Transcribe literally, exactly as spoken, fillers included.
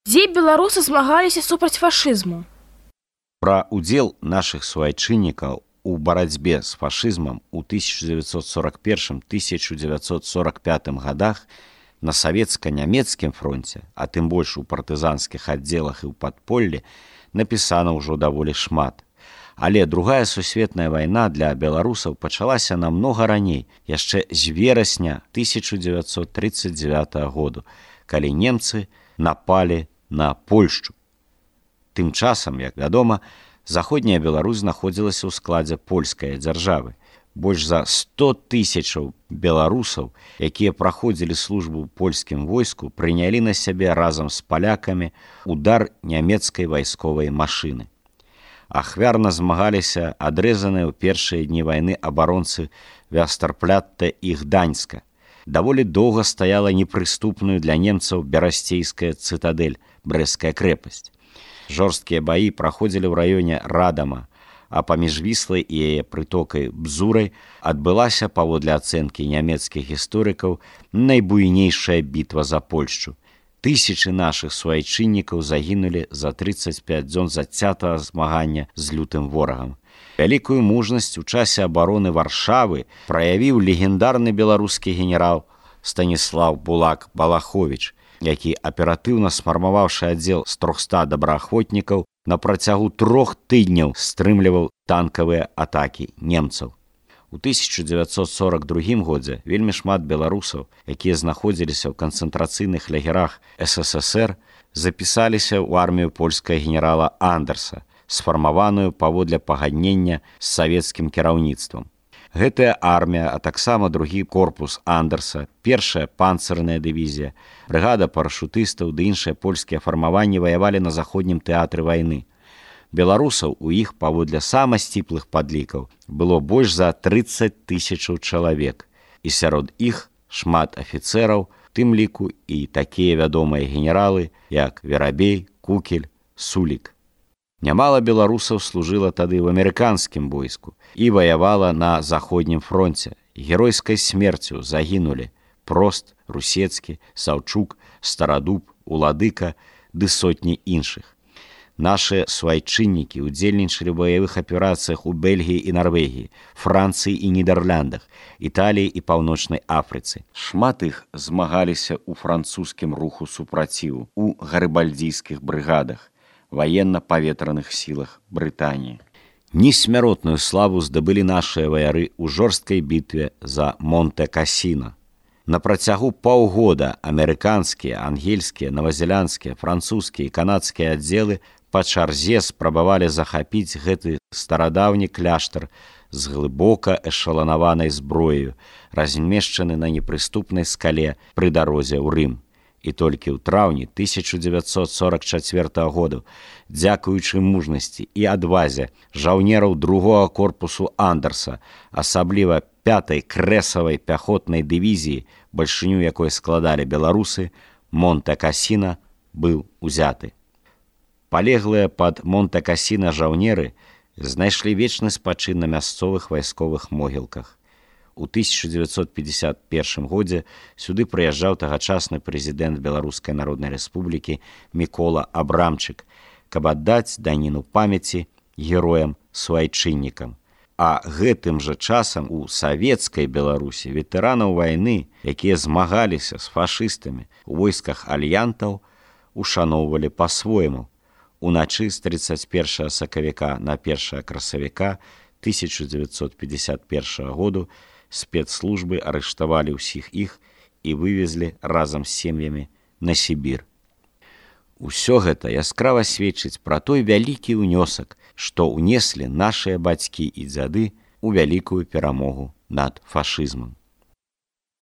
Дзе беларусы змагаліся супраць фашызму? Пра удзел нашых суайчыннікаў у барацьбе з фашызмам у тысяча дзевяцьсот сорок первым — тысяча дзевяцьсот сорок пятым годах на савецка-нямецкім фронце, а тым больш у партызанскіх аддзелах і ў падполлі, напісана ўжо даволі шмат. Але другая сусветная вайна для беларусаў пачалася намнога раней, яшчэ з верасня тысяча дзевяцьсот тридцать девятого году, калі немцы напалі на Польшчу. Тым часам, як вядома, заходняя Беларусь знаходзілася ў складзе польскай дзяржавы. Больш за сто тысячаў беларусаў, якія праходзілі службу ў польскім войску, прынялі на сябе разам з палякамі удар нямецкай вайсковай машыны. Ахвярна змагаліся адрэзаныя ў першыя дні вайны абаронцы Вястарплятта і Гданьска. Даволі доўга стаяла непрыступную для немцаў берасцейская цытадэль, Брэсцкая крэпасць. Жорсткія баі праходзілі ў раёне Радама, а паміж Віслай і яе прытокай Бзурай адбылася, паводле ацэнкі нямецкіх гісторыкаў, найбуйнейшая бітва за Польшчу. Тысячы нашых суайчыннікаў загінулі за тридцать пять дзён зацятага змагання з лютым ворагам. Вялікую мужнасць у часе абароны Варшавы праявіў легендарны беларускі генерал Станіслаў Булак Балаховіч, які, аператыўна сфармаваўшы аддзел з трохсот добраахвотнікаў, на працягу трох тыдняў стрымліваў танкавыя атакі немцаў. У тысяча дзевяцьсот сорок другім годзе вельмі шмат беларусаў, якія знаходзіліся ў канцэнтрацыйных лагерах эс эс эс эр, запісаліся ў армію польскага генерала Андерса, сфармаваную паводле пагаднення з савецкім кіраўніцтвам. Гэтая армія, а таксама другі корпус Андерса, першая панцырная дывізія, брыгада парашутыстаў ды іншыя польскія фармаванні ваявалі на заходнім тэатры вайны. Беларусаў у іх, паводле самых сціплых падлікаў, было больш за тридцать тысячаў чалавек, і сярод іх шмат афіцэраў, тым ліку і такія вядомыя генералы, як Верабей, Кукель, Сулік. Нямала беларусаў служыла тады ў амерыканскім войску і ваявала на заходнім фронце. Геройскай смерцю загінулі Прост, Русецкі, Саўчук, Старадуб, Уладыка ды сотні іншых. Нашы суайчыннікі удзельнічалі ў баявых аперацыях у Бельгіі і Нарвегіі, Францыі і Нідэрляндах, Італіі і Паўночнай Афрыцы. Шмат іх змагаліся ў французскім руху супраціву, у гарыбальдзійскіх брыгадах, ваенна-паветраных сілах Брытаніі. Несмяротную славу здабылі нашыя ваяры ў жорсткай бітве за Монте-Касіна. На працягу паўгода амерыканскія, ангельскія, новазеландскія, французскія і канадскія аддзелы па чарзе спрабавалі захапіць гэты старадаўні кляштар з глыбока эшаланаванай зброяю, размешчаны на непрыступнай скале пры дарозе ў Рым. І толькі ў траўні тысяча дзевяцьсот сорок чацвёртага году, дзякуючы мужнасці і адвазе жаўнераў другога корпусу Андерса, асабліва пятай крэсавай пяхотнай дывізіі, бальшыню якой складалі беларусы, Монте-Касіна быў узяты. Палеглыя пад Монте-Касіна жаўнеры знайшлі вечны спачын на мясцовых вайсковых могілках. У тысяча дзевяцьсот пятьдесят первым годзе сюды прыязджаў тагачасны прэзідэнт Беларускай Народнай Рэспублікі Мікола Абрамчык, каб аддаць даніну памяці героям-суайчыннікам. А гэтым жа часам у савецкай Беларусі ветэранаў вайны, якія змагаліся з фашыстамі у войсках альянтаў, ушаноўвалі па-свойму. Уначы з тридцать першага сакавіка на першага красавіка тысяча дзевяцьсот пятьдесят первага году спецслужбы арыштавалі ўсіх іх і вывезлі разам з сем'ямі на Сібір. Усё гэта яскрава сведчыць пра той вялікі ўнёсак, што ўнеслі нашыя бацькі і дзяды ў вялікую перамогу над фашызмам.